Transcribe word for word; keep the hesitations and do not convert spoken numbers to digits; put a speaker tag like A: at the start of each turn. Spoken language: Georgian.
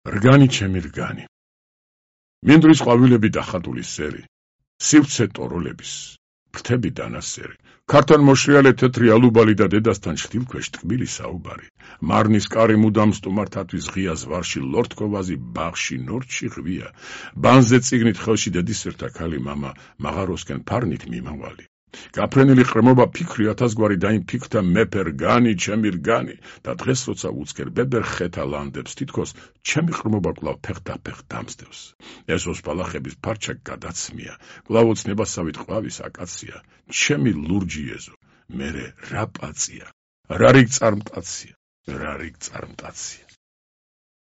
A: რგანი ჩემი რგანი. მინდვრის ყვავილები დახატული სერი, სივცე ტოროლების, ფრთები დანასერი, ქართან მოშრიალე თეთრი ალუბალი და დედასთან შთილქვეშ ტკბილი საუბარი, მარნის კარი მუდამ სტუმართათვის ღია ზვარში ლორთქოვაზი ბაღში ნორჩი ღვია, ბანზე წიგნით ხელში დედისერთა ქალი მამა მაღაროსკენ ფარნით მიმავალი. გაფრენილი ყრმობა ფიქრი ათასგვარი და იმ ფიქრთა მეფე რგანი ჩემი რგანი და დღეს როცა უცქერ ბებერ ხეთა ლანდებს თითქოს ჩემი ყრმობა კვლავ ფეხდაფეხ დამსდევს. ეს ოსპალახების ფარჩა გადაცმია, კვლავ ოცნებასავით ყვავის აკაცია, ჩემი ლურჯი ეზო, მერე რა პაწია, რა რიგ წარმტაცია, რა რიგ წარმტაცია.